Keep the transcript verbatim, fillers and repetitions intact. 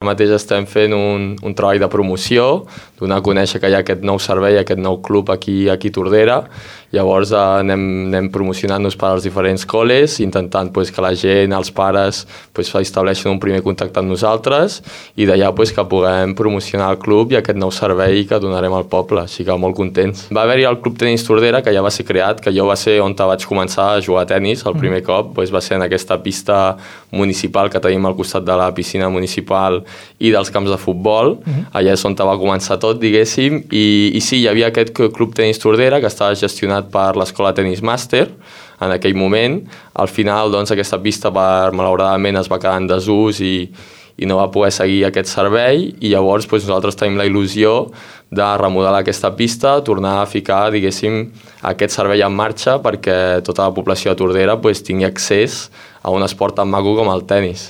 Ara mateix estem fent un, un treball de promoció, donar a conèixer que hi ha aquest nou servei, aquest nou club aquí, aquí a Tordera. Llavors eh, anem, anem promocionant-nos per als diferents col·les, intentant pues, que la gent, els pares, pues, estableixin un primer contacte amb nosaltres i d'allà pues, que puguem promocionar el club i aquest nou servei que donarem al poble, així que molt contents. Va haver-hi el Club Tenis Tordera, que ja va ser creat, que jo va ser on vaig començar a jugar a tenis el primer cop, pues, va ser en aquesta pista municipal que tenim al costat de la piscina municipal i dels camps de futbol. Uh-huh. Allà és on va començar tot, diguéssim, i, i sí, hi havia aquest Club Tenis Tordera que estava gestionat per l'Escola Tenis Màster en aquell moment. Al final, doncs, aquesta pista, per, malauradament, es va quedar en desús i, i no va poder seguir aquest servei, i llavors doncs, nosaltres tenim la il·lusió de remodelar aquesta pista, tornar a ficar, diguéssim, aquest servei en marxa perquè tota la població de Tordera doncs, tingui accés a un esport tan maco com el tenis.